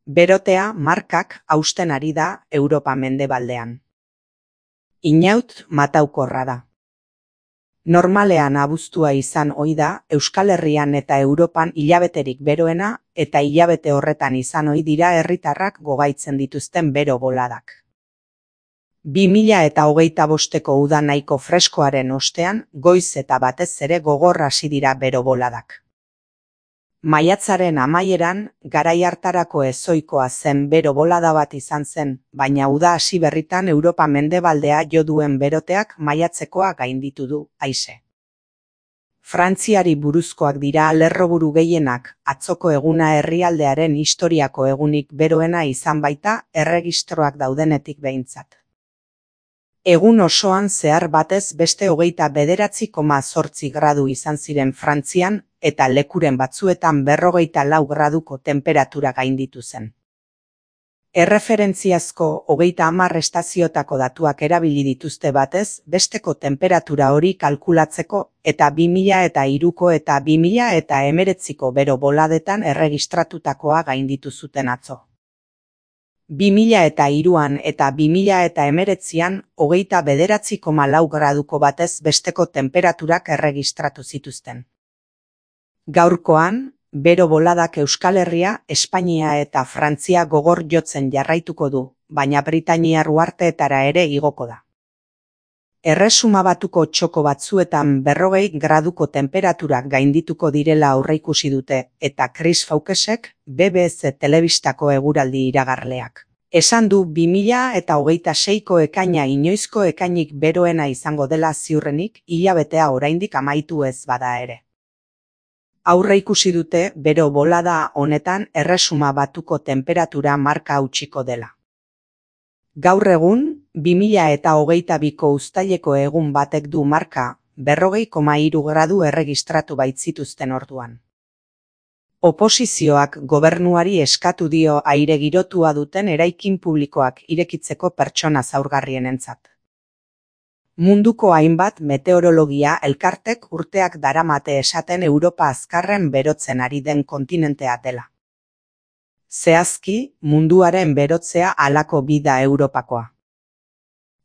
Berotea markak hausten ari da Europa mendebaldean. Inaut mataukorra da. Normalean abuztua izan ohi da Euskal Herrian eta Europan hilabeterik beroena eta hilabete horretan izan ohi dira herritarrak gogaitzen dituzten bero boladak. 2025ko uda nahiko freskoaren ostean goiz eta batez ere gogor hasi dira bero boladak. Maiatzaren amaieran garai hartarako ezohikoa zen bero bolada bat izan zen, baina uda hasi berritan Europa mendebaldea jo duen beroteak maiatzekoa gainditu du, aise. Frantziari buruzkoak dira lerroburu gehienak, atzoko eguna herrialdearen historiako egunik beroena izan baita erregistroak daudenetik behintzat. Egun osoan zehar batez beste 29,8 gradu izan ziren Frantzian eta lekuren batzuetan 44 graduko tenperatura gainditu zen. Erreferentziazko 30 estaziotako datuak erabili dituzte batez besteko tenperatura hori kalkulatzeko eta 2003ko eta 2019ko bero boladetan erregistratutakoa gainditu zuten atzo. 2003an eta 2019an 29,4 graduko batez besteko tenperaturak erregistratu zituzten. Gaurkoan, bero boladak Euskal Herria, Espainia eta Frantzia gogor jotzen jarraituko du, baina Britainiar uharteetara ere igoko da. Erresuma Batuko txoko batzuetan 40 graduko temperaturak gaindituko direla aurreikusi dute eta Chris Fawkesek BBC telebistako eguraldi iragarleak. Esan du 2026ko ekaina inoizko ekainik beroena izango dela ziurrenik hilabetea oraindik amaitu ez bada ere. Aurreikusi dute bero bolada honetan Erresuma Batuko tenperatura marka hautsiko dela. Gaur egun, 2022ko uztaileko egun batek du marka 40,3 gradu erregistratu baitzituzten orduan. Oposizioak gobernuari eskatu dio aire girotua duten eraikin publikoak irekitzeko pertsona zaurgarrienentzat. Munduko hainbat meteorologia elkartek urteak daramate esaten Europa azkarren berotzen ari den kontinentea dela. Zehazki, munduaren berotzea halako bida Europakoa.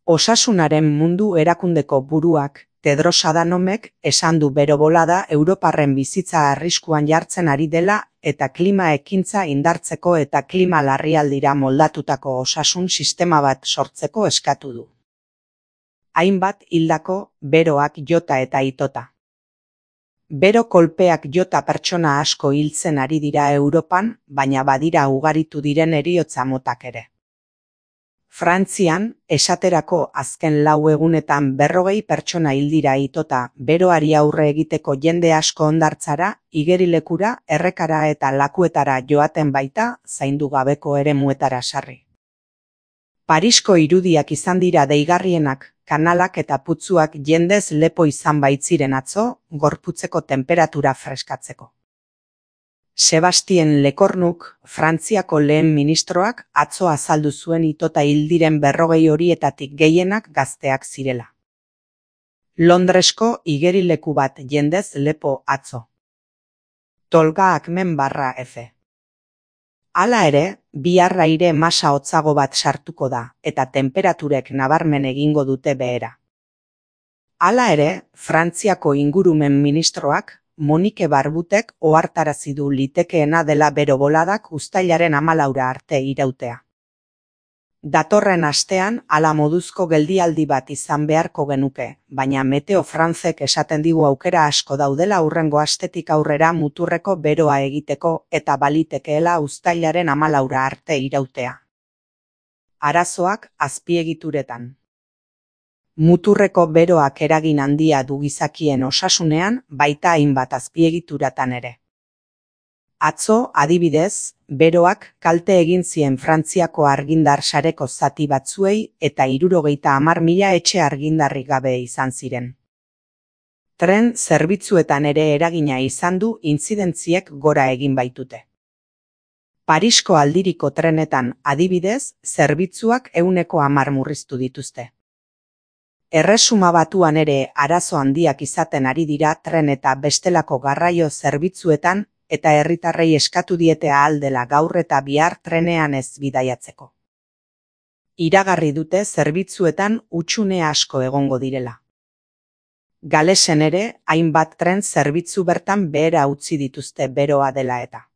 Osasunaren mundu erakundeko buruak, Tedros Adhanomek esan du bero bolada Europarren bizitza arriskuan jartzen ari dela eta klima ekintza indartzeko eta klima larrialdira moldatutako osasun sistema bat sortzeko eskatu du. Hainbat hildako beroak jota eta itota. Bero kolpeak jota pertsona asko hiltzen ari dira Europan, baina badira ugaritu diren heriotza motak ere. Frantzian, esaterako azken 4 egunetan 40 pertsona hil dira itota beroari aurre egiteko jende asko hondartzara, igerilekura, errekara eta lakuetara joaten baita zaindu gabeko eremuetara sarri. Parisko irudiak izan dira deigarrienak, kanalak eta putzuak jendez lepo izan baitziren atzo, gorputzeko temperatura freskatzeko. Sebastien Lecornuk, Frantziako lehen ministroak, atzo azaldu zuen itota hil diren 40 horietatik gehienak gazteak zirela. Londresko igerileku bat jendez lepo atzo. Tolga Akmen /F. Hala ere, bihar aire masa hotzago bat sartuko da, eta temperaturek nabarmen egingo dute behera. Hala ere, Frantziako ingurumen ministroak, Monique Barbutek ohartarazi du litekeena dela bero boladak uztailaren 14 arte irautea. Datorren astean hala moduzko geldialdi bat izan beharko genuke, baina Meteo Francek esaten digu aukera asko daudela hurrengo astetik aurrera muturreko beroa egiteko eta balitekeela uztailaren 14 arte irautea. Arazoak azpiegituretan. Muturreko beroak eragin handia du gizakien osasunean, baita hainbat azpiegituratan ere. Atzo, adibidez, beroak kalte egin zien Frantziako argindar sareko zati batzuei eta 70.000 etxe argindarrik gabe izan ziren. Tren zerbitzuetan ere eragina izan du intzidentziek gora egin baitute. Parisko aldiriko trenetan, adibidez, zerbitzuak 110 murriztu dituzte. Erresuma Batuan ere arazo handiak izaten ari dira tren eta bestelako garraio zerbitzuetan eta herritarrei eskatu diete ahal dela gaur eta bihar trenean ez bidaiatzeko. Iragarri dute zerbitzuetan hutsune asko egongo direla. Galesen ere, hainbat tren zerbitzu bertan behera utzi dituzte beroa dela eta.